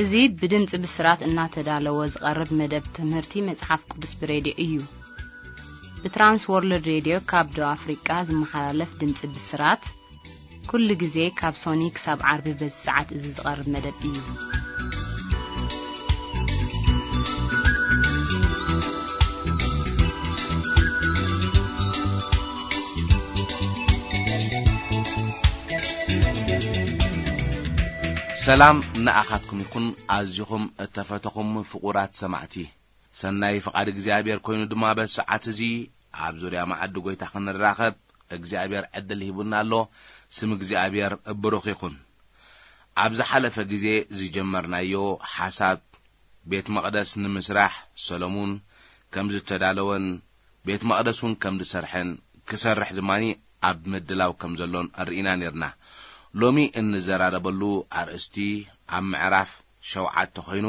እዚ ብድምጺ ብስራት እናተዳለወ ዝቐርብ መደብ ትምህርቲ መጽሓፍ ቅዱስ ብሬድዮ እዩ። ብትራንስ ወርልድ ሬድዮ ካብ ደቡብ ኣፍሪቃ ዝመሓላለፍ ድምጺ ብስራት፣ ኩሉ ግዜ ካብ ሶኒ ክሳብ ዓርቢ በዚ ሰዓት እዚ ዝቐርብ መደብ እዩ። ሰላም ንኣኻትኩም ይኹን፣ ኣዚኹም እተፈተኹም ፍቑራት ሰማዕቲ። ሰናይ ፍቓድ እግዚኣብሔር ኮይኑ ድማ በዚ ሰዓት እዚ ኣብ ዙርያ መኣዲ ጐይታ ክንራኸብ እግዚኣብሔር ዕድል ሂቡና ኣሎ። ስም እግዚኣብሔር ብሩኽ ይኹን። ኣብ ዝሓለፈ ግዜ ዝጀመርናዮ ሓሳብ ቤት መቕደስ ንምስራሕ ሰሎሙን ከም ዝተዳለወን ቤት መቕደስ እውን ከም ዝሰርሐን ክሰርሕ ድማ ኣብ ምድላው ከም ዘሎን ርኢና ነርና። ሎሚ እንዘራረበሉ ኣርእስቲ ኣብ ምዕራፍ ሸውዓተ ኮይኑ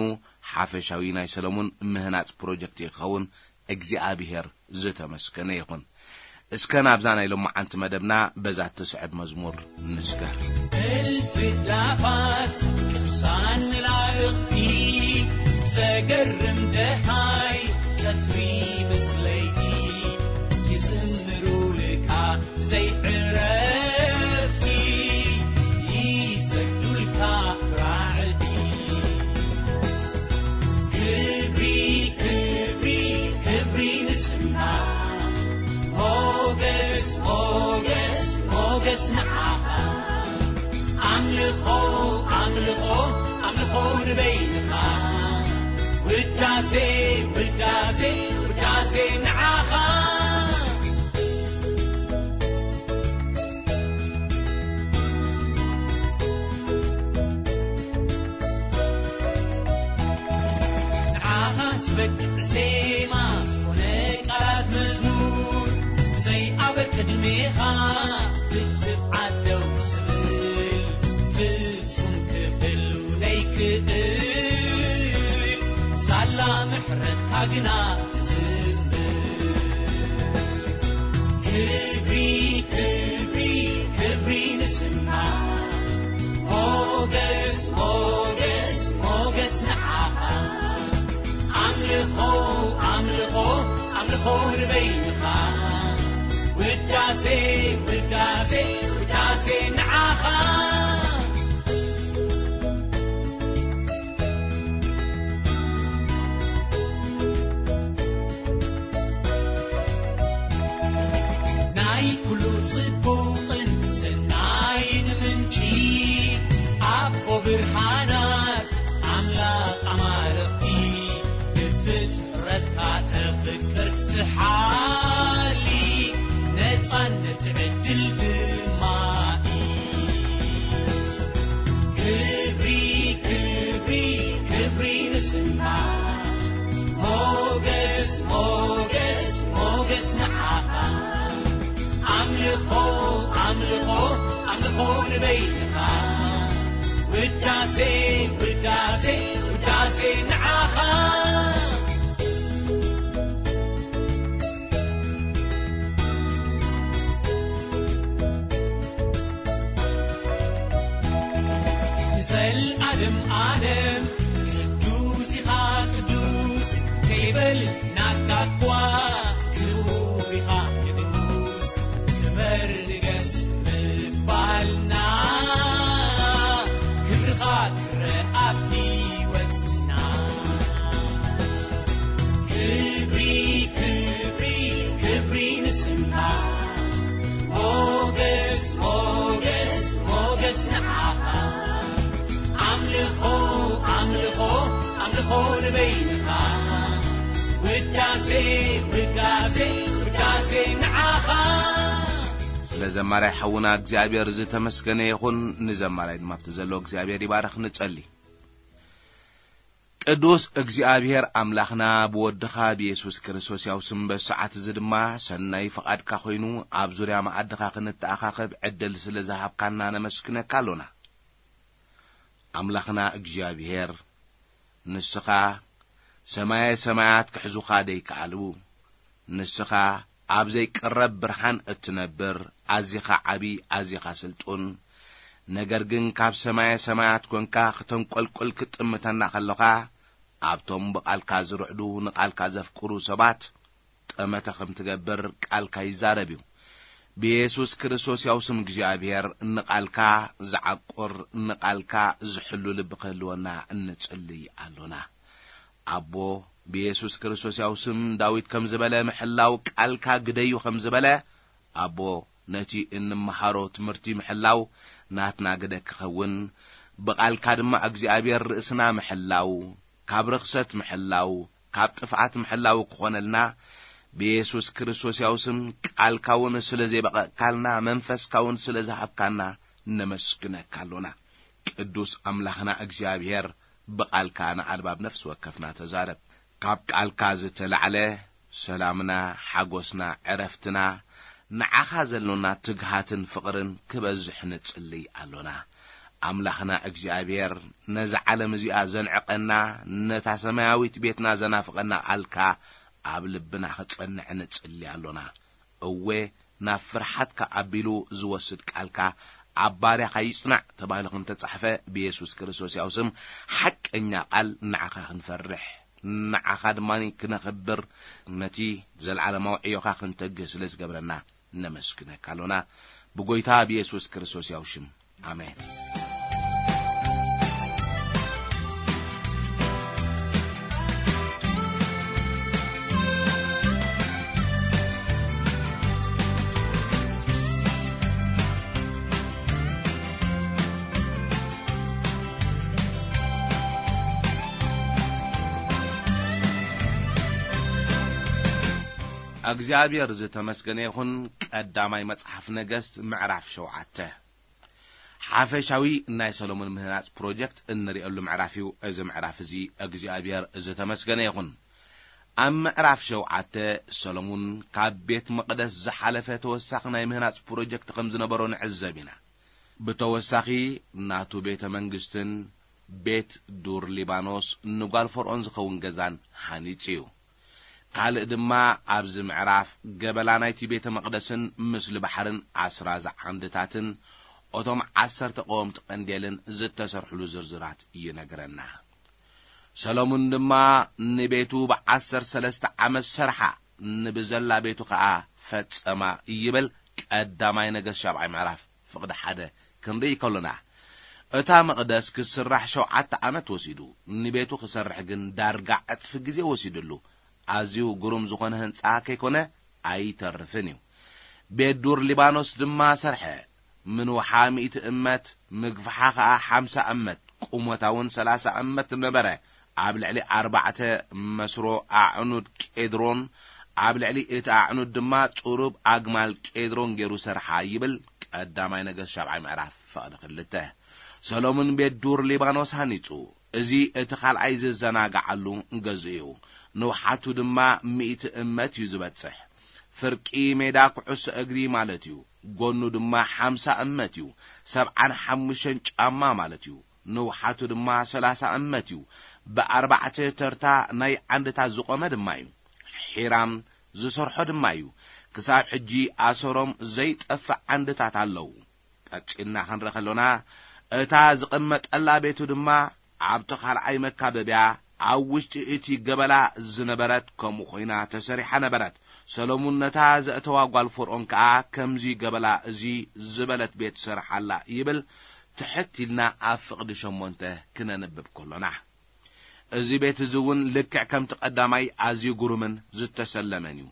ሓፈሻዊ ናይ ሰሎሙን ምህናጽ ፕሮጀክት ክኸውን እግዚኣብሔር ዝተመስገነ ይኹን። እስከ ናብዛ ናይ ሎማዓንቲ መደብና በዛ ትስዕብ መዝሙር ንስገር። እልፊ ኣእላፋት ቅዱሳን መላእኽቲ ዘገርም ደሃይ ቀትሪ ምስ ለይቲ ይዝምሩልካ ብዘይ ዕረፍቲ ይሰግዱልካ ራዕዲ። ክብሪ፣ ክብሪ፣ ክብሪ ንስምካ። ሞገስ፣ ሞገስ፣ ሞገስ ንዓኻ። ኣምልኾ፣ ኣምልኾ፣ ኣምልኾ ንበይንኻ። ውዳሴ፣ ውዳሴ፣ ውዳሴ ንዓኻ። ንዓኻ ዝበቅዕ ዜማ ኮነ ቃላት መዝሙር ብዘይ ኣበር ቅድሜኻ ክትብዓት ደው ዝብል ፍጹም ክህሉ ዘይክእል ሳላ ምሕረትካ ግና ክብሪ፣ ክብሪ፣ ክብሪ ንስምካ። ሞገስ፣ ሞገስ፣ ሞገስ ንዓኻ። ኣምልኾ፣ ኣምልኾ፣ ኣምልኾ ንበይንኻ። ውዳሴ፣ ውዳሴ፣ ውዳሴ ንዓኻ። ናይ ኩሉ ጽቡቕን ሰናይን ምንጪ ኣቦ ብርሃናት ኣምላኽ ኣማልኽቲ ብፍጥረትካ ተፍቅር ትሓሊ ነጻነት ዕድል ድማ ክብሪ፣ ክብሪ፣ ክብሪ ንስምካ። ሞገስ፣ ሞገስ፣ ሞገስ ንዓኻ። ኣምልኾ፣ ኣምልኾ፣ ኣምልኾ ንበይንኻ። ውዳሴ፣ ውዳሴ፣ ውዳሴ ንዓኻ። ንዘልኣለም ኣለም ቅዱስ ኢኻ ቅዱስ ከይበል ናካ እኳ ክቡር ኢኻ ንጉስ ክበር ንገስ ምባልና ክብርኻ ክረኣ ኣብ ህይወትና። ክብሪ ክብሪ ክብሪ ንስምካ። ሞገስ ሞገስ ሞገስ ንዓኻ። ኣምልኾ ኣምልኾ ኣምልኾ ንበይንኻ። ውዳሴ ውዳሴ ውዳሴ ንዓኻ። ስለ ዘማራይ ሓውና እግዚኣብሔር ዝተመስገነ ይኹን። ንዘማራይ ድማ ኣብቲ ዘሎ እግዚኣብሔር ይባረኽ። ንጸሊ። ቅዱስ እግዚኣብሔር ኣምላኽና ብወድኻ ብየሱስ ክርስቶስ ያው ስም በዚ ሰዓት እዚ ድማ ሰናይ ፍቓድካ ኮይኑ ኣብ ዙርያ መኣድኻ ክንተኣኻኸብ ዕድል ስለ ዝሃብካና ነመስግነካ ኣሎና። ኣምላኽና እግዚኣብሔር ንስኻ ሰማየ ሰማያት ክሕዙኻ ደይከኣሉ፣ ንስኻ ኣብ ዘይቅረብ ብርሃን እትነብር ኣዚኻ ዓቢ ኣዚኻ ስልጡን ነገር ግን ካብ ሰማየ ሰማያት ኮንካ ክተንቆልቁል ክትጥምተና ከለኻ፣ ኣብቶም ብቓልካ ዝርዕዱ ንቓልካ ዘፍቅሩ ሰባት ጠመተ ከም ትገብር ቃልካ ይዛረብ እዩ። ብየሱስ ክርስቶስ ያው ስም እግዚኣብሔር ንቓልካ ዝዓቁር፣ ንቓልካ ዝሕሉ ልቢ ክህልወና እንጽልይ ኣሎና። ኣቦ፣ ብየሱስ ክርስቶስ ያው ስም ዳዊት ከም ዝበለ ምሕላው ቃልካ ግደዩ ከም ዝበለ፣ ኣቦ፣ ነቲ እንመሃሮ ትምህርቲ ምሕላው ናትና ግደ ክኸውን፣ ብቓልካ ድማ እግዚኣብሔር ርእስና ምሕላው፣ ካብ ርኽሰት ምሕላው፣ ካብ ጥፍኣት ምሕላው ክኾነልና፣ ብየሱስ ክርስቶስ ያው ስም ቃልካ እውን ስለ ዜበቐቕካልና፣ መንፈስካ እውን ስለ ዝሃብካና ነመስግነካ ኣሎና። ቅዱስ ኣምላኽና እግዚኣብሔር፣ ብቓልካ ንኣልባብ ነፍሲ ወከፍና ተዛረብ። ካብ ቃልካ ዝተላዕለ ሰላምና፣ ሓጎስና፣ ዕረፍትና፣ ንዓኻ ዘሎና ትግሃትን ፍቕርን ክበዝሕ ንጽልይ ኣሎና። ኣምላኽና እግዚኣብሔር፣ ነዛ ዓለም እዚኣ ዘንዕቐና፣ ነታ ሰማያዊት ቤትና ዘናፍቐና ቃልካ ኣብ ልብና ክጸንዕ ንጽልይ ኣሎና። እወ፣ ናብ ፍርሓትካ ኣቢሉ ዝወስድ ቃልካ ኣብ ባርያኻ ይጽናዕ ተባሂሉ ከም ተጻሕፈ፣ ብየሱስ ክርስቶስ ያው ስም ሓቀኛ ቃል ንዓኻ ክንፈርሕ፣ ንዓኻ ድማ ክነኽብር፣ ነቲ ዘለዓለማዊ ዕዮኻ ክንተግህ ስለ ዝገብረና ነመስግነካ ኣሎና። ብጎይታ ብየሱስ ክርስቶስ ያው ሽም፣ ኣሜን። እግዚኣብሔር ዝተመስገነ ይኹን። ቀዳማይ መጽሓፍ ነገስት ምዕራፍ ሸውዓተ። ሓፈሻዊ ናይ ሰሎሞን ምህናጽ ፕሮጀክት እንርእየሉ ምዕራፍ እዩ። እዚ ምዕራፍ እዚ እግዚኣብሔር ዝተመስገነ ይኹን። ኣብ ምዕራፍ ሸውዓተ፣ ሰሎሞን ካብ ቤት መቕደስ ዝሓለፈ ተወሳኺ ናይ ምህናጽ ፕሮጀክት ከም ዝነበሮ ንዕዘብ ኢና። ብተወሳኺ፣ ናቱ ቤተ መንግስትን ቤት ዱር ሊባኖስ ንጓል ፈርዖን ዝኸውን ገዛን ሃኒጹ እዩ። ካልእ ድማ፣ ኣብዚ ምዕራፍ ገበላ ናይቲ ቤተ መቕደስን ምስሊ ባሕርን ኣስራዚ ዓንድታትን፣ እቶም ዓሰርተ ቀወምቲ ቀንዴልን ዝተሰርሕሉ ዝርዝራት ይነግረና። ሰሎሙን ድማ፣ ንቤቱ ብዓሰርተ ሰለስተ ዓመት ሰርሓ፣ ንብዘላ ቤቱ ኸኣ ፈጸማ ይብል። ቀዳማይ ነገስት ሻብዓይ ምዕራፍ ፍቕዲ ሓደ ክንርኢ ከሎና፣ እታ መቕደስ ክስራሕ ሸውዓተ ዓመት ወሲዱ፣ ንቤቱ ክሰርሕ ግን ዳርጋ ዕጽፊ ግዜ ወሲድሉ። ኣዝዩ ግሩም ዝኾነ ህንጻ ከይኮነ ኣይተርፍን እዩ። ቤት ዱር ሊባኖስ ድማ ሰርሐ። ምንውሓ ሚእቲ እመት፣ ምግፍሓ ኸኣ ሓምሳ እመት፣ ቁመታ እውን ሰላሳ እመት ነበረ። ኣብ ልዕሊ ኣርባዕተ መስሮ ኣዕኑድ ቄድሮን፣ ኣብ ልዕሊ እቲ ኣዕኑድ ድማ ጽሩብ ኣግማል ቄድሮን ገይሩ ሰርሓ ይብል ቀዳማይ ነገስት ሻብዓይ ምዕራፍ ፍቕዲ ክልተ። ሰሎሙን ቤት ዱር ሊባኖስ ሃኒጹ። እዚ እቲ ካልኣይ ዝዘናግዓሉ ገዝኡ እዩ። ንውሓቱ ድማ ሚእቲ እመት እዩ ዝበጽሕ። ፍርቂ ሜዳ ኩዕሶ እግሪ ማለት እዩ። ጎኑ ድማ ሓምሳ እመት እዩ። ሰብዓን ሓሙሽተን ጫማ ማለት እዩ። ንውሓቱ ድማ ሰላሳ እመት እዩ። ብኣርባዕተ ተርታ ናይ ዓንድታት ዝቖመ ድማ እዩ። ሒራም ዝሰርሖ ድማ እዩ። ክሳብ ሕጂ ኣሰሮም ዘይጠፍእ ዓንድታት ኣለዉ። ቀጺልና ክንርኢ ከሎና፣ እታ ዝቕመጠላ ቤቱ ድማ ኣብቲ ካልኣይ መካበብያ ኣብ ውሽጢ እቲ ገበላ ዝነበረት ከምኡ ኮይና ተሰሪሓ ነበረት። ሰሎሙን ነታ ዘእተዋ ጓል ፈርዖን ከኣ ከምዚ ገበላ እዚ ዝበለት ቤት ሰርሓላ ይብል። ትሕት ኢልና ኣብ ፍቕዲ ሸሞንተ ክነንብብ ከሎና፣ እዚ ቤት እዚ እውን ልክዕ ከምቲ ቀዳማይ ኣዝዩ ግሩምን ዝተሰለመን እዩ።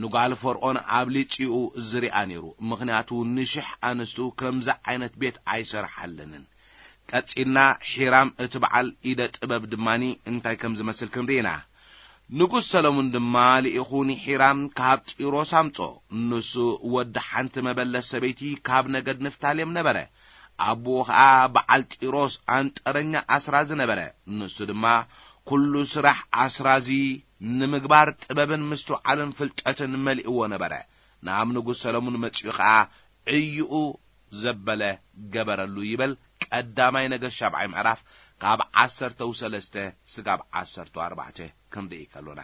ንጓል ፈርዖን ኣብሊጺኡ ዝሪኣ ነይሩ፣ ምኽንያቱ ንሽሕ ኣንስቱ ከምዚ ዓይነት ቤት ኣይሰርሓለንን። ቀጺልና ሒራም እቲ በዓል ኢደ ጥበብ ድማኒ እንታይ ከም ዝመስል ክንርኢ ኢና። ንጉስ ሰሎሙን ድማ ልኢኹ ንሒራም ካብ ጢሮስ ኣምጾ። ንሱ ወዲ ሓንቲ መበለት ሰበይቲ ካብ ነገድ ንፍታሌም ነበረ። ኣቦኡ ኸኣ በዓል ጢሮስ ኣንጠረኛ ኣስራዚ ነበረ። ንሱ ድማ ኩሉ ስራሕ ኣስራዚ ንምግባር ጥበብን ምስትውዓልን ፍልጠትን መሊእዎ ነበረ። ናብ ንጉስ ሰሎሙን መጺኡ ኸኣ ዕይኡ ዘበለ ገበረሉ ይበል። ቀዳማይ ነገስት ሻብዓይ ምዕራፍ ካብ ዓሰርተው ሰለስተ ስጋብ ዓሰርተው ኣርባዕተ ክንርኢ ከሎና፣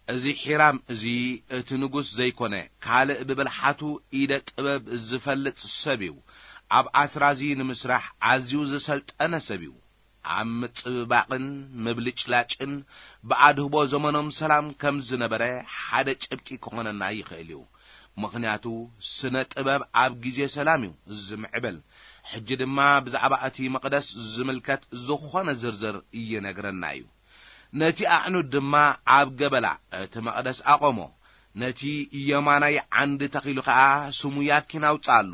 እዚ ሒራም እዚ እቲ ንጉስ ዘይኮነ ካልእ ብብልሓቱ ኢደ ጥበብ ዝፈልጥ ሰብ እዩ። ኣብ ኣስራዚ ንምስራሕ ኣዝዩ ዝሰልጠነ ሰብ እዩ። ኣብ ምጽብባቕን ምብልጭላጭን ብኣድህቦ ዘመኖም ሰላም ከም ዝነበረ ሓደ ጭብጢ ክኾነና ይኽእል እዩ። ምኽንያቱ ስነ ጥበብ ኣብ ግዜ ሰላም እዩ ዝምዕብል። ሕጂ ድማ ብዛዕባ እቲ መቕደስ ዝምልከት ዝኾነ ዝርዝር ይነግረና እዩ። ነቲ ኣዕኑድ ድማ ኣብ ገበላ እቲ መቕደስ ኣቖሞ። ነቲ የማናይ ዓንዲ ተኺሉ ኸኣ ስሙ ያኪን ኣውጽኣሉ።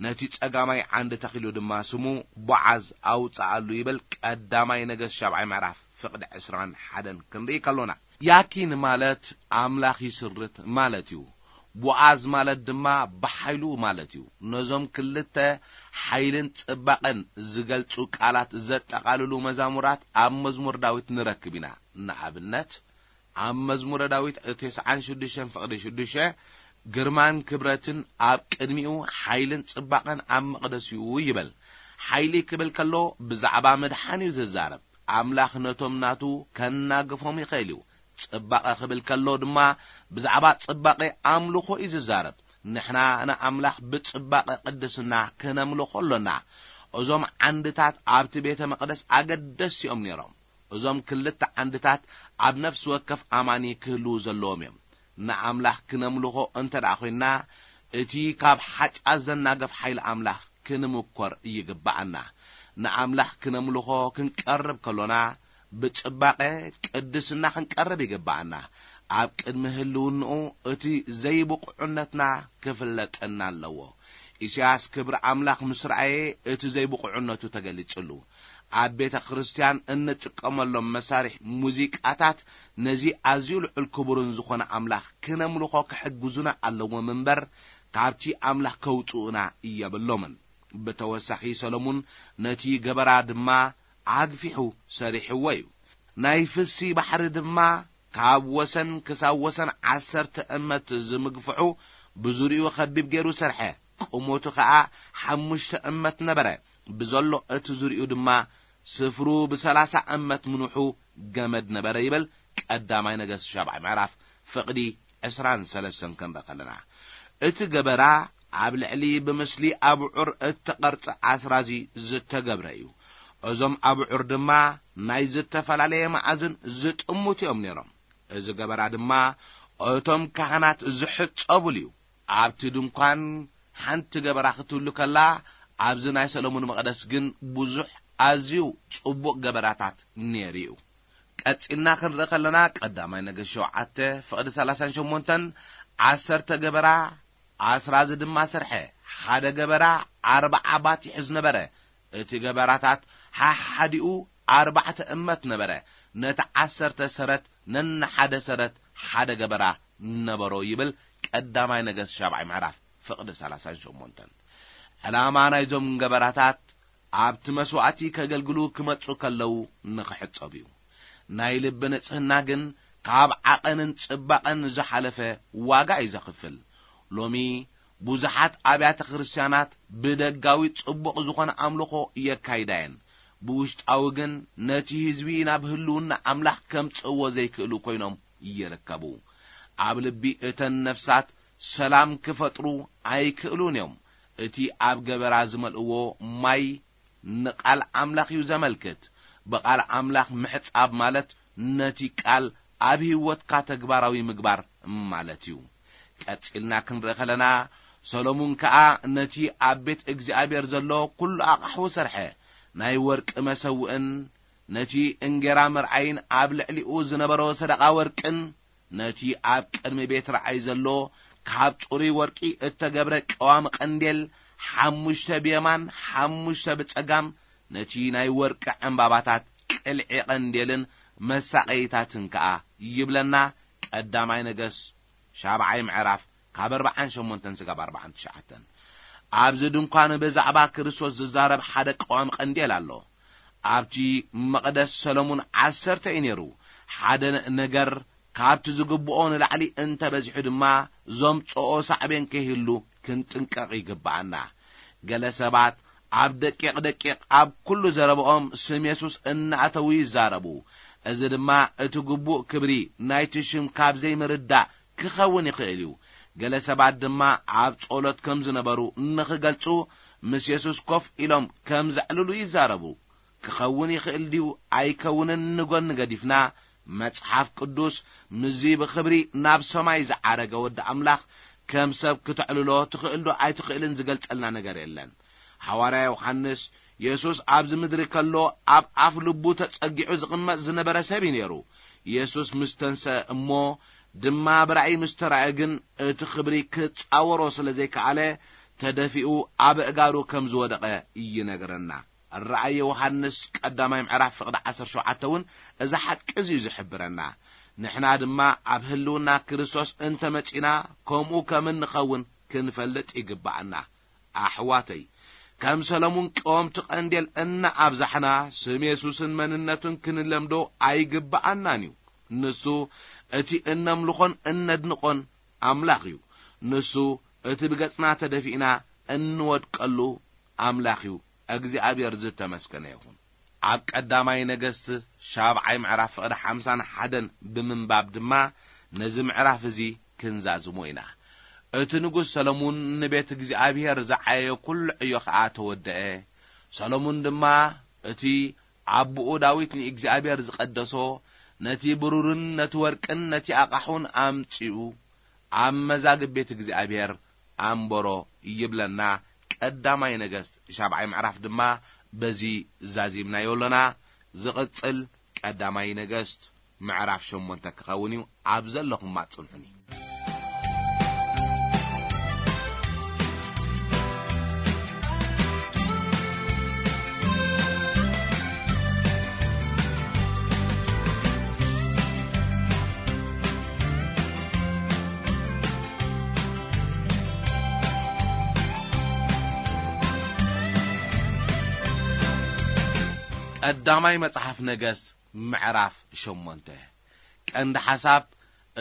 ነቲ ጸጋማይ ዓንዲ ተኺሉ ድማ ስሙ ቦዓዝ ኣውጽኣሉ ይብል። ቀዳማይ ነገስት ሻብዓይ ምዕራፍ ፍቕዲ ዕስራን ሓደን ክንርኢ ከሎና፣ ያኪን ማለት ኣምላኽ ይስርት ማለት እዩ። ቦኣዝ ማለት ድማ ብሓይሉ ማለት እዩ። ነዞም ክልተ ሓይልን ጽባቐን ዝገልጹ ቃላት ዘጠቓልሉ መዛሙራት ኣብ መዝሙር ዳዊት ንረክብ ኢና። ንኣብነት፣ ኣብ መዝሙረ ዳዊት ተስዓን ሽዱሽተን ፍቕዲ ሽዱሽተ፣ ግርማን ክብረትን ኣብ ቅድሚኡ፣ ሓይልን ጽባቐን ኣብ መቕደስኡ ይብል። ሓይሊ ክብል ከሎ ብዛዕባ ምድሓን እዩ ዝዛረብ። ኣምላኽ ነቶም ናቱ ከናግፎም ይኽእል እዩ። ጽባቐ ክብል ከሎ ድማ ብዛዕባ ጽባቐ ኣምልኾ እዩ ዝዛረብ። ንሕና ንኣምላኽ ብጽባቐ ቅድስና ክነምልኾ ኣሎና። እዞም ዓንድታት ኣብቲ ቤተ መቕደስ ኣገደስቲ እዮም ነይሮም። እዞም ክልተ ዓንድታት ኣብ ነፍሲ ወከፍ ኣማኒ ክህልዉ ዘለዎም እዮም። ንኣምላኽ ክነምልኾ እንተ ደኣ ኾይንና፣ እቲ ካብ ሓጢኣት ዘናግፍ ሓይሊ ኣምላኽ ክንምኮር ይግብኣና። ንኣምላኽ ክነምልኾ ክንቀርብ ከሎና፣ ብጽባቐ ቅድስና ክንቀርብ ይግብኣና። ኣብ ቅድሚ ህልውንኡ እቲ ዘይብቑዕነትና ክፍለጠና ኣለዎ። ኢሳያስ ክብሪ ኣምላኽ ምስ ረኣየ፣ እቲ ዘይብቑዕነቱ ተገሊጽሉ። ኣብ ቤተ ክርስቲያን እንጥቀመሎም መሳርሒ ሙዚቃታት ነዚ ኣዝዩ ልዑል ክቡርን ዝኾነ ኣምላኽ ክነምልኾ ክሕግዙና ኣለዎም እምበር፣ ካብቲ ኣምላኽ ከውጽኡና የብሎምን። ብተወሳኺ ሰሎሙን ነቲ ገበራ ድማ ኣግፊሑ ሰሪሕዎ እዩ። ናይ ፍሲ ባሕሪ ድማ ካብ ወሰን ክሳብ ወሰን ዓሰርተ እመት ዝምግፍሑ ብዙሪኡ ኸቢብ ገይሩ ሰርሐ። ቁመቱ ኸኣ ሓሙሽተ እመት ነበረ። ብዘሎ እቲ ዙሪኡ ድማ ስፍሩ ብሰላሳ እመት ምንውሑ ገመድ ነበረ ይብል ቀዳማይ ነገስት ሻብዓይ ምዕራፍ ፍቕዲ ዕስራን ሰለስተን ክንርኢ ከለና። እቲ ገበራ ኣብ ልዕሊ ብምስሊ ኣብዑር እተቐርጸ ኣስራዚ ዝተገብረ እዩ። እዞም ኣብዑር ድማ ናይ ዝተፈላለየ መኣዝን ዝጥምቱ እዮም ነይሮም። እዚ ገበራ ድማ እቶም ካህናት ዝሕጸቡሉ እዩ። ኣብቲ ድንኳን ሓንቲ ገበራ ክትህሉ ከላ፣ ኣብዚ ናይ ሰሎሞን መቕደስ ግን ብዙሕ ኣዝዩ ጽቡቕ ገበራታት ነይሩ እዩ። ቀጺልና ክንርኢ ከለና፣ ቀዳማይ ነገስት ሸውዓተ ፍቕዲ ሰላሳን ሸሞንተን፣ ዓሰርተ ገበራ ኣስራዚ ድማ ሰርሐ። ሓደ ገበራ ኣርብዓ ባቲሕ ዝነበረ፣ እቲ ገበራታት ሓሓዲኡ ኣርባዕተ እመት ነበረ። ነቲ ዓሰርተ ሰረት ነንሓደ ሰረት ሓደ ገበራ ነበሮ ይብል ቀዳማይ ነገስት ሻብዓይ ምዕራፍ ፍቕዲ ሰላሳን ሸሞንተን። ዕላማ ናይዞም ገበራታት ኣብቲ መስዋእቲ ከገልግሉ ክመጹ ከለዉ ንኽሕጸቡ እዩ። ናይ ልቢ ንጽህና ግን ካብ ዓቐንን ጽባቐን ዝሓለፈ ዋጋ እዩ ዘኽፍል። ሎሚ ብዙሓት ኣብያተ ክርስቲያናት ብደጋዊ ጽቡቕ ዝኾነ ኣምልኾ የካይዳ እየን፣ ብውሽጣዊ ግን ነቲ ህዝቢ ናብ ህልውና ኣምላኽ ከምጽእዎ ዘይክእሉ ኮይኖም ይርከቡ። ኣብ ልቢ እተን ነፍሳት ሰላም ክፈጥሩ ኣይክእሉን እዮም። እቲ ኣብ ገበራ ዝመልእዎ ማይ ንቃል ኣምላኽ እዩ ዘመልክት። ብቃል ኣምላኽ ምሕጻብ ማለት ነቲ ቃል ኣብ ህይወትካ ተግባራዊ ምግባር ማለት እዩ። ቀጺልና ክንርኢ ከለና፣ ሰሎሙን ከኣ ነቲ ኣብ ቤት እግዚኣብሔር ዘሎ ኩሉ ኣቕሑ ሰርሐ። ናይ ወርቂ መሰውእን ነቲ እንጌራ መርዓይን ኣብ ልዕሊኡ ዝነበሮ ሰደቓ ወርቅን ነቲ ኣብ ቅድሚ ቤት ረኣይ ዘሎ ካብ ጽሩይ ወርቂ እተገብረ ቀዋሚ ቀንዴል፣ ሓሙሽተ ብየማን ሓሙሽተ ብጸጋም፣ ነቲ ናይ ወርቂ ዕምባባታት ቅልዒ ቀንዴልን መሳቐይታትን ከኣ ይብለና። ቀዳማይ ነገስት ሻብዓይ ምዕራፍ ካብ ኣርብዓን ሸሞንተን ስጋብ ኣርብዓን ትሽዓተን። ኣብዚ ድንኳን ብዛዕባ ክርስቶስ ዝዛረብ ሓደ ቀዋሚ ቀንዴል ኣሎ። ኣብቲ መቕደስ ሰሎሙን ዓሰርተ እዩ ነይሩ። ሓደ ነገር ካብቲ ዝግብኦ ንላዕሊ እንተ በዚሑ ድማ፣ ዘምጽኦ ሳዕቤን ከይህሉ ክንጥንቀቕ ይግብኣና። ገለ ሰባት ኣብ ደቂቕ ደቂቕ ኣብ ኩሉ ዘረባኦም ስም የሱስ እናእተዉ ይዛረቡ። እዚ ድማ እቲ ግቡእ ክብሪ ናይቲ ሽም ካብ ዘይምርዳእ ክኸውን ይኽእል እዩ። ገለ ሰባት ድማ ኣብ ጸሎት ከም ዝነበሩ ንኽገልጹ፣ ምስ የሱስ ኮፍ ኢሎም ከም ዘዕልሉ ይዛረቡ። ክኸውን ይኽእል ድዩ ኣይከውንን ንጎኒ ገዲፍና፣ መጽሓፍ ቅዱስ ምስዚ ብኽብሪ ናብ ሰማይ ዝዓረገ ወዲ ኣምላኽ ከም ሰብ ክተዕልሎ ትኽእል ዶ ኣይትኽእልን ዝገልጸልና ነገር የለን። ሓዋርያ ዮሃንስ፣ የሱስ ኣብዚ ምድሪ ከሎ ኣብ ኣፍ ልቡ ተጸጊዑ ዝቕመጥ ዝነበረ ሰብ እዩ ነይሩ። የሱስ ምስ ተንስአ እሞ ድማ ብራእይ ምስ ተራእየ ግን፣ እቲ ክብሪ ክጻወሮ ስለ ዘይከኣለ፣ ተደፊኡ ኣብ ኣእጋሩ ከም ዝወደቐ ይነግረና። ራእይ ዮሃንስ ቀዳማይ ምዕራፍ ፍቕዲ ዓሰርተ ሸውዓተ እውን እዚ ሓቂ እዚ እዩ ዝሕብረና። ንሕና ድማ ኣብ ህልውና ክርስቶስ እንተመጺና፣ ከምኡ ከም እንኸውን ክንፈልጥ ይግብኣና። ኣሕዋተይ፣ ከም ሰሎሙን ቀወምቲ ቀንዴል እናኣብዛሕና፣ ስም የሱስን መንነቱን ክንለምዶ ኣይግብኣናን እዩ። ንሱ እቲ እነምልኾን እነድንቖን ኣምላኽ እዩ። ንሱ እቲ ብገጽና ተደፊእና እንወድቀሉ ኣምላኽ እዩ። እግዚኣብሔር ዝተመስገነ ይኹን። ኣብ ቀዳማይ ነገስት ሻብዓይ ምዕራፍ ፍቕዲ ሓምሳን ሓደን ብምንባብ ድማ ነዚ ምዕራፍ እዚ ክንዛዝሞ ኢና። እቲ ንጉስ ሰሎሙን ንቤት እግዚኣብሔር ዝዓየዮ ኩሉ ዕዮ ኸኣ ተወደአ። ሰሎሙን ድማ እቲ ኣቦኡ ዳዊት ንእግዚኣብሔር ዝቐደሶ ነቲ ብሩርን ነቲ ወርቅን ነቲ ኣቓሑን ኣምጺኡ ኣብ መዛግብ ቤት እግዚኣብሔር ኣንበሮ ይብለና። ቀዳማይ ነገስት ሻብዓይ ምዕራፍ ድማ በዚ ዛዚምናዮ ኣሎና። ዝቕጽል ቀዳማይ ነገስት ምዕራፍ ሸሞንተ ክኸውን እዩ። ኣብ ዘለኹም ኣጽንሑኒ። ቀዳማይ መጽሓፍ ነገስት ምዕራፍ ሸሞንተ። ቀንዲ ሓሳብ፣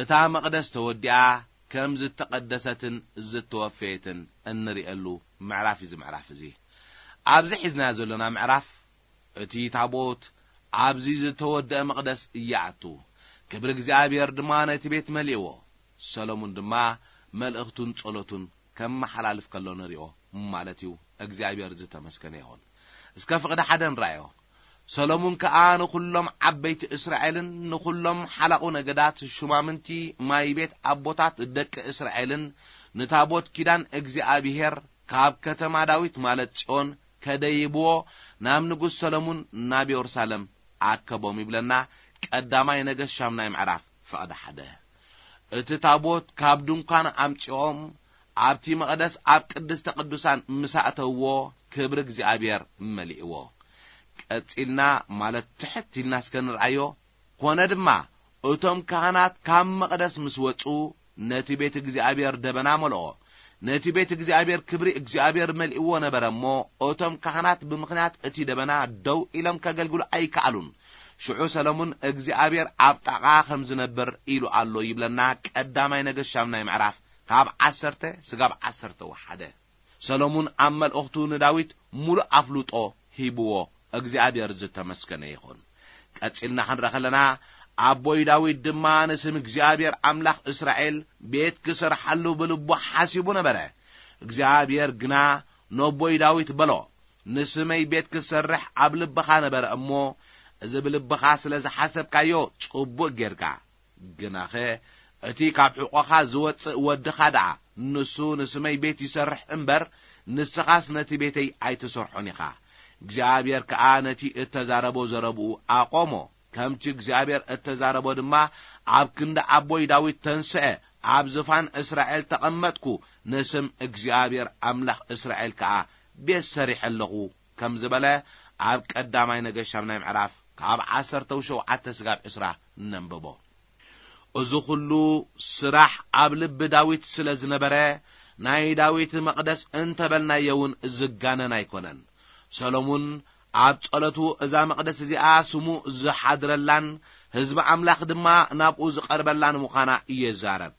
እታ መቕደስ ተወዲኣ ከም ዝተቐደሰትን ዝተወፈየትን እንርእየሉ ምዕራፍ እዩ እዚ ምዕራፍ እዚ። ኣብዚ ሒዝናዮ ዘሎና ምዕራፍ፣ እቲ ታቦት ኣብዚ ዝተወደአ መቕደስ ይኣቱ፣ ክብሪ እግዚኣብሔር ድማ ነቲ ቤት መሊእዎ። ሰሎሙን ድማ መልእኽቱን ጸሎቱን ከመሓላልፍ ከሎ ንሪኦ ማለት እዩ። እግዚኣብሔር ዝተመስገነ ይኹን። እስከ ፍቕዲ ሓደ ንረኣዮ። ሰሎሙን ከኣ ንኹሎም ዓበይቲ እስራኤልን ንኹሎም ሓላቑ ነገዳት፣ ሹማምንቲ ማይ ቤት ኣቦታት ደቂ እስራኤልን ንታቦት ኪዳን እግዚኣብሔር ካብ ከተማ ዳዊት ማለት ጽዮን ከደይብዎ ናብ ንጉስ ሰሎሙን ናብ የሩሳሌም ኣከቦም ይብለና። ቀዳማይ ነገስት ሻምናይ ምዕራፍ ፍቕዲ ሓደ። እቲ ታቦት ካብ ድንኳን ኣምጺኦም ኣብቲ መቕደስ ኣብ ቅድስተ ቅዱሳን ምስ ኣእተውዎ ክብሪ እግዚኣብሔር መሊእዎ። ቀጺልና ማለት ትሕት ኢልና እስከ ንርኣዮ። ኮነ ድማ እቶም ካህናት ካብ መቕደስ ምስ ወጹ ነቲ ቤት እግዚኣብሔር ደበና መልኦ። ነቲ ቤት እግዚኣብሔር ክብሪ እግዚኣብሔር መሊእዎ ነበረ እሞ፣ እቶም ካህናት ብምኽንያት እቲ ደበና ደው ኢሎም ከገልግሉ ኣይከኣሉን። ሽዑ ሰሎሙን እግዚኣብሔር ኣብ ጣቓ ከም ዝነብር ኢሉ ኣሎ ይብለና። ቀዳማይ ነገስት ሻምናይ ምዕራፍ ካብ ዓሰርተ ስጋብ ዓሰርተ ወሓደ። ሰሎሙን ኣብ መልእኽቱ ንዳዊት ሙሉእ ኣፍልጦ ሂብዎ። እግዚኣብሔር ዝተመስገነ ይኹን። ቀጺልና ክንርኢ ከለና፣ ኣቦይ ዳዊት ድማ ንስም እግዚኣብሔር ኣምላኽ እስራኤል ቤት ክሰርሓሉ ብልቡ ሓሲቡ ነበረ። እግዚኣብሔር ግና ነቦይ ዳዊት በሎ፣ "ንስመይ ቤት ክሰርሕ ኣብ ልብኻ ነበረ እሞ፣ እዚ ብልብኻ ስለ ዝሓሰብካዮ ጽቡቕ ጌርካ። ግናኸ እቲ ካብ ሕቖኻ ዝወጽእ ወድኻ ደኣ፣ ንሱ ንስመይ ቤት ይሰርሕ እምበር፣ ንስኻስ ነቲ ቤተይ ኣይትሰርሖን ኢኻ።" እግዚኣብሔር ከኣ ነቲ እተዛረቦ ዘረብኡ ኣቖሞ። ከምቲ እግዚኣብሔር እተዛረቦ ድማ ኣብ ክንዲ ኣቦይ ዳዊት ተንስአ፣ ኣብ ዝፋን እስራኤል ተቐመጥኩ፣ ንስም እግዚኣብሔር ኣምላኽ እስራኤል ከኣ ቤት ሰሪሐ ኣለኹ ከም ዝበለ፣ ኣብ ቀዳማይ ነገስት ሻምናይ ምዕራፍ ካብ ዓሰርተ ሸውዓተ ስጋብ ዕስራ ነንብቦ። እዚ ኹሉ ስራሕ ኣብ ልቢ ዳዊት ስለ ዝነበረ፣ ናይ ዳዊት መቕደስ እንተበልናዮ እውን ዝጋነን ኣይኮነን። ሰሎሙን ኣብ ጸሎቱ እዛ መቕደስ እዚኣ ስሙ ዝሓድረላን ህዝቢ ኣምላኽ ድማ ናብኡ ዝቐርበላን ምዃና ይዛረብ።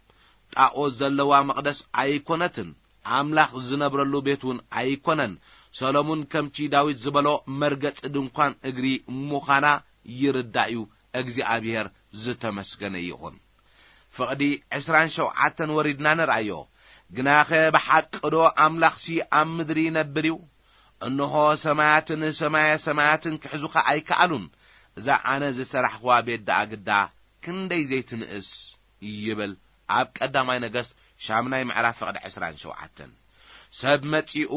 ጣኦት ዘለዋ መቕደስ ኣይኮነትን፣ ኣምላኽ ዝነብረሉ ቤት እውን ኣይኮነን። ሰሎሙን ከምቲ ዳዊት ዝበሎ መርገጺ ድንኳን እግሪ ምዃና ይርዳእ እዩ። እግዚኣብሔር ዝተመስገነ ይኹን። ፍቕዲ ዕስራን ሸውዓተን ወሪድና ንርኣዮ። ግናኸ ብሓቂ ዶ ኣምላኽሲ ኣብ ምድሪ ይነብር እዩ? እንሆ ሰማያትን ሰማየ ሰማያትን ክሕዙኻ ኣይከኣሉን። እዛ ኣነ ዝሰራሕኽዋ ቤት ደኣ ግዳ ክንደይ ዘይትንእስ ይብል ኣብ ቀዳማይ ነገስት ሻምናይ ምዕራፍ ፍቕዲ ዕስራን ሸውዓተን። ሰብ መጺኡ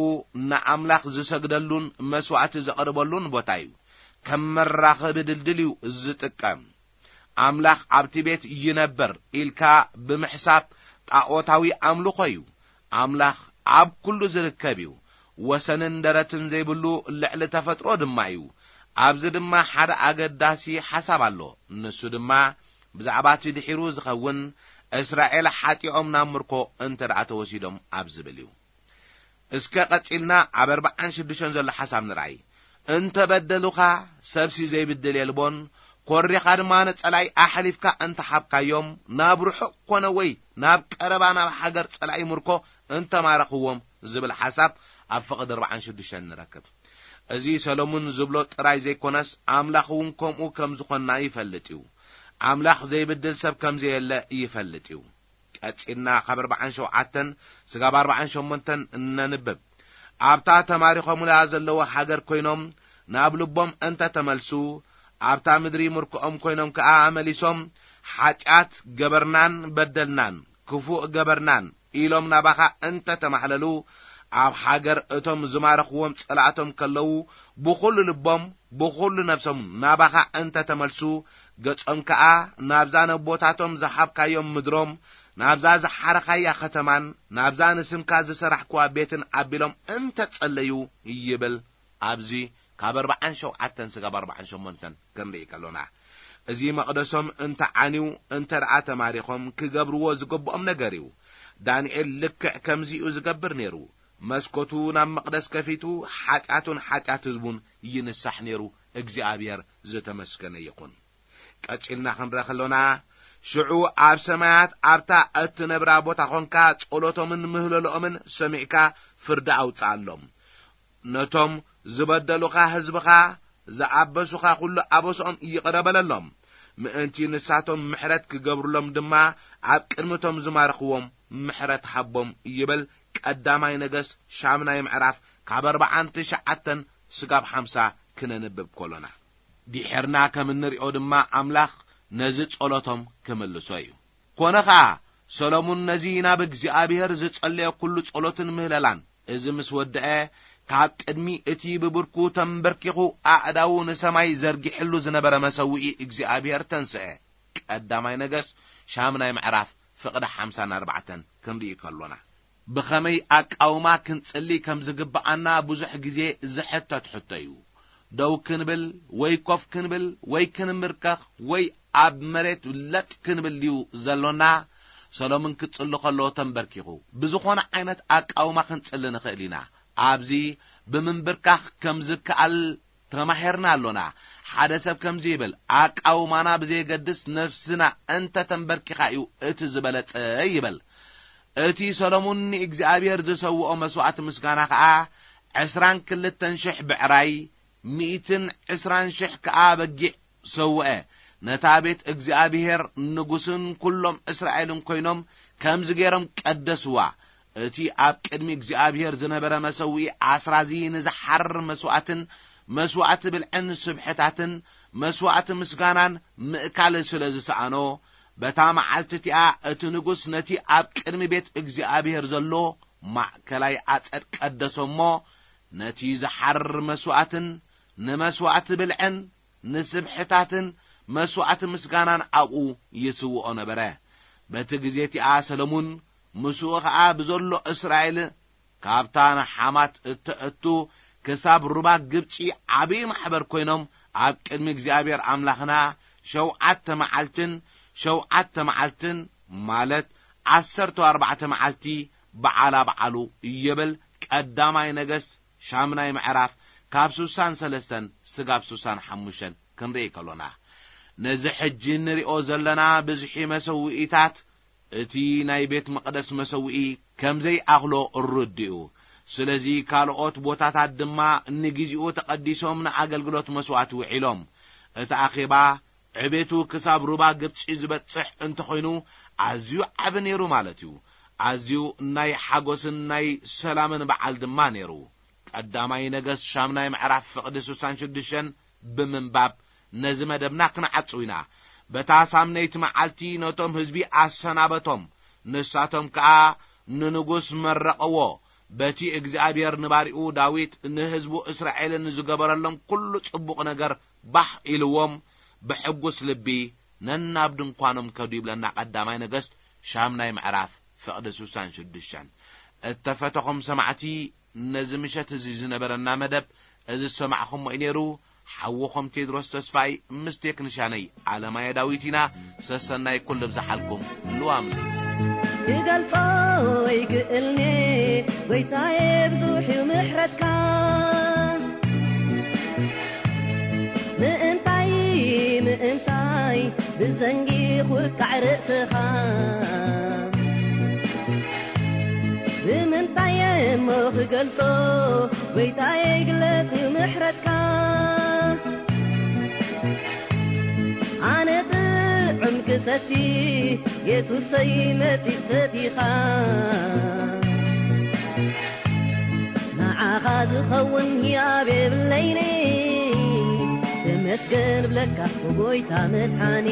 ንኣምላኽ ዝሰግደሉን መስዋዕቲ ዘቕርበሉን ቦታ እዩ። ከም መራኸቢ ድልድል እዩ ዝጥቀም። ኣምላኽ ኣብቲ ቤት ይነብር ኢልካ ብምሕሳብ ጣዖታዊ ኣምልኾ እዩ። ኣምላኽ ኣብ ኩሉ ዝርከብ እዩ። ወሰንን ደረትን ዘይብሉ ልዕሊ ተፈጥሮ ድማ እዩ። ኣብዚ ድማ ሓደ ኣገዳሲ ሓሳብ ኣሎ። ንሱ ድማ ብዛዕባ እቲ ድሒሩ ዝኸውን እስራኤል ሓጢኦም ናብ ምርኮ እንተ ደኣ ተወሲዶም ኣብ ዝብል እዩ። እስከ ቀጺልና ኣብ ኣርባዓን ሽዱሽተን ዘሎ ሓሳብ ንርኣይ። እንተ በደሉኻ፣ ሰብሲ ዘይብድል የልቦን፣ ኮሪኻ ድማ ንጸላኢ ኣሕሊፍካ እንተ ሓብካዮም፣ ናብ ርሑቕ ኮነ ወይ ናብ ቀረባ ናብ ሃገር ጸላኢ ምርኮ እንተ ማረኽዎም ዝብል ሓሳብ ኣብ ፍቕዲ ኣርባዓን ሽዱሽተን ንረክብ። እዚ ሰሎሙን ዝብሎ ጥራይ ዘይኮነስ፣ ኣምላኽ እውን ከምኡ ከም ዝኾንና ይፈልጥ እዩ። ኣምላኽ ዘይብድል ሰብ ከም ዘየለ ይፈልጥ እዩ። ቀጺልና ካብ ኣርባዓን ሸውዓተን ስጋብ ኣርባዓን ሸሞንተን እነንብብ። ኣብታ ተማሪኾምላ ዘለዉ ሃገር ኮይኖም ናብ ልቦም እንተ ተመልሱ፣ ኣብታ ምድሪ ምርኮኦም ኮይኖም ከኣ መሊሶም፣ ሓጢኣት ገበርናን በደልናን፣ ክፉእ ገበርናን ኢሎም ናባኻ እንተ ተማሕለሉ፣ ኣብ ሃገር እቶም ዝማረኽዎም ጸላእቶም ከለዉ፣ ብኹሉ ልቦም፣ ብኹሉ ነፍሶም ናባኻ እንተ ተመልሱ፣ ገጾም ከኣ ናብዛ ነቦታቶም ዝሃብካዮም ምድሮም፣ ናብዛ ዝሓረኻያ ኸተማን ናብዛ ንስምካ ዝሰራሕክዋ ቤትን ኣቢሎም እንተ ጸለዩ ይብል። ኣብዚ ካብ ኣርባዓን ሸውዓተን ስጋብ ኣርባዓን ሸሞንተን ክንርኢ ከሎና፣ እዚ መቕደሶም እንተ ዓንዩ፣ እንተ ደኣ ተማሪኾም፣ ክገብርዎ ዝግብኦም ነገር እዩ። ዳንኤል ልክዕ ከምዚ እዩ ዝገብር ነይሩ። መስኮቱ ናብ መቕደስ ከፊቱ፣ ሓጢኣቱን ሓጢኣት ህዝቡን ይንሳሕ ነይሩ። እግዚኣብሔር ዝተመስገነ ይኹን። ቀጺልና ክንረአ ከሎና፣ ሽዑ ኣብ ሰማያት ኣብታ እትነብራ ቦታ ኾንካ፣ ጸሎቶምን ምህለልኦምን ሰሚዕካ ፍርዲ ኣውጽኣሎም። ነቶም ዝበደሉኻ ህዝብኻ፣ ዝኣበሱኻ ኩሉ ኣበስኦም ይቕረ በለሎም። ምእንቲ ንሳቶም ምሕረት ክገብሩሎም ድማ፣ ኣብ ቅድሚቶም ዝማርኽዎም ምሕረት ሃቦም ይብል ቀዳማይ ነገስት ሻምናይ ምዕራፍ ካብ ኣርባዓን ትሽዓተን ስጋብ ሓምሳ ክነንብብ ከሎና። ድሒርና ከም እንሪኦ ድማ ኣምላኽ ነዚ ጸሎቶም ክምልሶ እዩ። ኮነ ኸኣ ሰሎሙን ነዚ ናብ እግዚኣብሔር ዝጸለየ ኩሉ ጸሎትን ምህለላን፣ እዚ ምስ ወደአ፣ ካብ ቅድሚ እቲ ብብርኩ ተንበርኪኹ ኣእዳዉ ንሰማይ ዘርጊሕሉ ዝነበረ መሰውኢ እግዚኣብሔር ተንስአ። ቀዳማይ ነገስት ሻምናይ ምዕራፍ ፍቕዲ ሓምሳን ኣርባዕተን ክንርኢ ከሎና፣ ብኸመይ ኣቃውማ ክንጽሊ ከም ዝግብኣና ብዙሕ ግዜ ዝሕተት ሕቶ እዩ። ደው ክንብል ወይ ኮፍ ክንብል ወይ ክንምርከኽ ወይ ኣብ መሬት ለጥ ክንብል ድዩ ዘሎና? ሰሎምን ክጽሊ ከሎ ተንበርኪኹ። ብዝኾነ ዓይነት ኣቃውማ ክንጽሊ ንኽእል ኢና። ኣብዚ ብምንብርካኽ ከም ዝከኣል ተማሂርና ኣሎና። ሓደ ሰብ ከምዚ ይብል፣ ኣቃውማና ብዘየገድስ ነፍስና እንተ ተንበርኪኻ እዩ እቲ ዝበለጸ ይብል። እቲ ሰሎሙን ንእግዚኣብሔር ዝሰውኦ መስዋዕቲ ምስጋና ኸኣ ዕስራን ክልተን ሽሕ ብዕራይ፣ ሚእትን ዕስራን ሽሕ ከኣ በጊዕ ሰውአ። ነታ ቤት እግዚኣብሔር ንጉስን ኩሎም እስራኤልን ኮይኖም ከምዚ ገይሮም ቀደስዋ። እቲ ኣብ ቅድሚ እግዚኣብሔር ዝነበረ መሰውኢ ኣስራዚ ንዝሓርር መስዋዕትን መስዋዕቲ ብልዕን ስብሕታትን መስዋዕቲ ምስጋናን ምእካል ስለ ዝሰኣኖ፣ በታ መዓልቲ እቲኣ እቲ ንጉስ ነቲ ኣብ ቅድሚ ቤት እግዚኣብሔር ዘሎ ማእከላይ ኣጸድ ቀደሶ እሞ፣ ነቲ ዝሓርር መስዋዕትን ንመስዋዕቲ ብልዕን ንስብሕታትን መስዋዕቲ ምስጋናን ኣብኡ ይስውኦ ነበረ። በቲ ግዜ እቲኣ ሰሎሙን ምስኡ ኸኣ ብዘሎ እስራኤል ካብታ ንሓማት እተእቱ ክሳብ ሩባ ግብጺ ዓብዪ ማሕበር ኮይኖም ኣብ ቅድሚ እግዚኣብሔር ኣምላኽና ሸውዓተ መዓልትን ሸውዓተ መዓልትን፣ ማለት ዓሰርተ ኣርባዕተ መዓልቲ በዓላ በዓሉ ይብል ቀዳማይ ነገስት ሻምናይ ምዕራፍ ካብ ስሳን ሰለስተን ስጋብ ስሳን ሓሙሽተን ክንርኢ ከሎና፣ ነዚ ሕጂ እንሪኦ ዘለና ብዝሒ መሰውኢታት እቲ ናይ ቤት መቕደስ መሰውኢ ከም ዘይኣኽሎ ርዱእ እዩ። ስለዚ ካልኦት ቦታታት ድማ ንግዜኡ ተቐዲሶም ንኣገልግሎት መስዋዕቲ ውዒሎም። እቲ ኣኼባ ዕቤቱ ክሳብ ሩባ ግብጺ ዝበጽሕ እንተኾይኑ፣ ኣዝዩ ዓቢ ነይሩ ማለት እዩ። ኣዝዩ ናይ ሓጎስን ናይ ሰላምን በዓል ድማ ነይሩ። ቀዳማይ ነገስት ሻምናይ ምዕራፍ ፍቕዲ ስሳን ሽዱሽተን ብምንባብ ነዚ መደብና ክንዓጽው ኢና። በታ ሳምነይቲ መዓልቲ ነቶም ህዝቢ ኣሰናበቶም። ንሳቶም ከኣ ንንጉስ መረቐዎ። በቲ እግዚኣብሔር ንባሪኡ ዳዊት ንህዝቡ እስራኤልን ዝገበረሎም ኩሉ ጽቡቕ ነገር ባህ ኢልዎም ብሕጉስ ልቢ ነናብ ድንኳኖም ከዱ ይብለና ቀዳማይ ነገስት ሻምናይ ምዕራፍ ፍቕዲ ስሳን ሽዱሽተን። እተፈተኹም ሰማዕቲ፣ ነዚ ምሸት እዚ ዝነበረና መደብ እዚ ዝሰማዕኹሞ እዩ ነይሩ። ሓውኹም ቴድሮስ ተስፋይ ምስ ቴክኒሻነይ ኣለማየ ዳዊት ኢና። ሰሰናይ ኩሉ ብዝሓልኩም ልዋም። ክገልጾ ይክእልኔ ጎይታዬ ብዙሕ እዩ ምሕረትካ። ምእንታይ ምእንታይ ብዘንጊ ኹቃዕ ርእስኻ። ብምንታይ እሞ ክገልጾ ጎይታዬ ግለጽ እዩ ምሕረትካ። ኣነ ጥዑም ክሰቲ የሱሰይ መጺእ ሰቲኻ። ንዓኻ ዝኸውን ህያብ የብለይኒ። ተመስገን ብለካ ጎይታ መድሓኒ።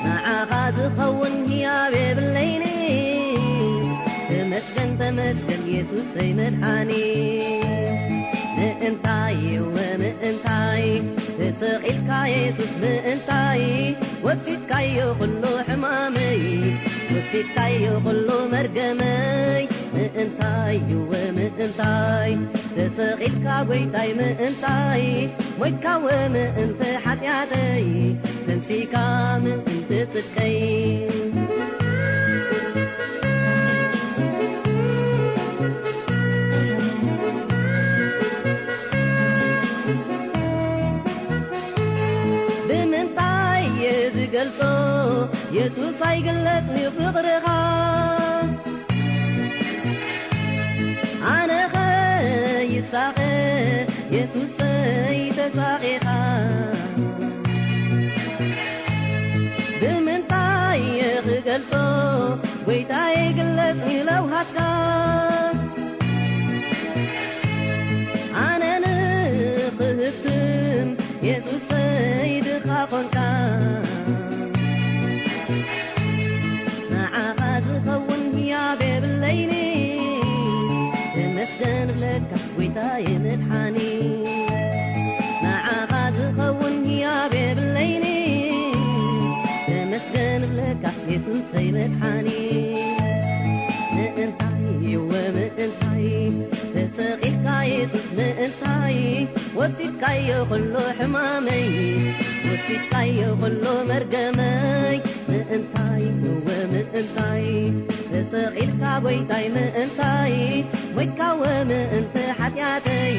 ንዓኻ ዝኸውን ህያብ የብለይኒ። ተመስገን ተመስገን የሱሰይ መድሓኒ። ምእንታይ እወ ምእንታይ ተሰቒልካ የሱስ ምእንታይ ወሲድካዮ ኩሉ ሕማመይ፣ ወሲድካዮ ኩሉ መርገመይ። ምእንታይ እወ ምእንታይ ተሰቒልካ ጎይታይ ምእንታይ ሞይትካወ ምእንቲ ሓጢኣተይ ተንሲካ ምእንቲ ጽድቀይ። ብምንታይ እየ ዝገልጾ የሱስ ኣይግለጽን እዩ ፍቕርኻ። ኣነኸ ይሳቐ የሱሰይ ተሳቒኻ። ብምንታይ እየ ክገልጾ ጎይታዬ ግለጽ እዩ ለውሃትካ። ኣነ ንኽህትም የሱሰይ ድኻ ኾንካ። ንዓኻ ዝኸውን ህያብ የብለይኒ። ተመስገን ብለካ ጎይታዬ መድሓኒ። ንዓኻ ዝኸውን ህያብ የብለይኒ። ተመስገን ብለካ የሱሰይ መድሓኒ። ምእንታይ እወ ምእንታይ ተሰቒልካ የሱስ ምእንታይ ወሲድካዮ ኩሉ ሕማመይ ወሲድካዮ ኩሉ መርገመይ። ምእንታይ እወ ምእንታይ ተሰቒልካ ጎይታይ ምእንታይ ሞይትካወ ምእንቲ ሓጢኣተይ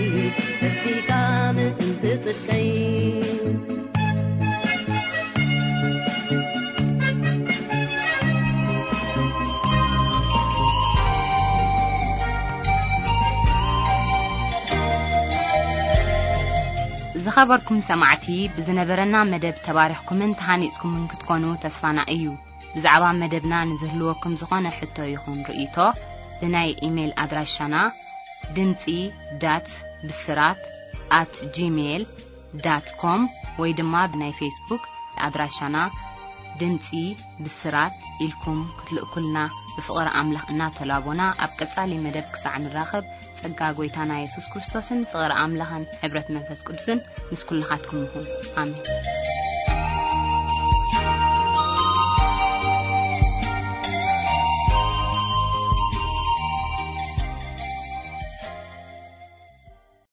ተንሲካ ምእንቲ ጽድቀይ። ዝኸበርኩም ሰማዕቲ፣ ብዝነበረና መደብ ተባሪኽኩምን ተሃኒጽኩምን ክትኮኑ ተስፋና እዩ። ብዛዕባ መደብና ንዝህልወኩም ዝኾነ ሕቶ ይኹን ርእይቶ፣ ብናይ ኢሜይል ኣድራሻና ድምጺ ዳት ብስራት ኣት ጂሜይል ዳት ኮም ወይ ድማ ብናይ ፌስቡክ ኣድራሻና ድምጺ ብስራት ኢልኩም ክትልእኩልና ብፍቕሪ ኣምላኽ እናተላቦና፣ ኣብ ቀጻሊ መደብ ክሳዕ ንራኸብ፣ ጸጋ ጐይታና የሱስ ክርስቶስን ፍቕሪ ኣምላኽን ሕብረት መንፈስ ቅዱስን ምስ ኩልኻትኩም ይኹን። ኣሜን።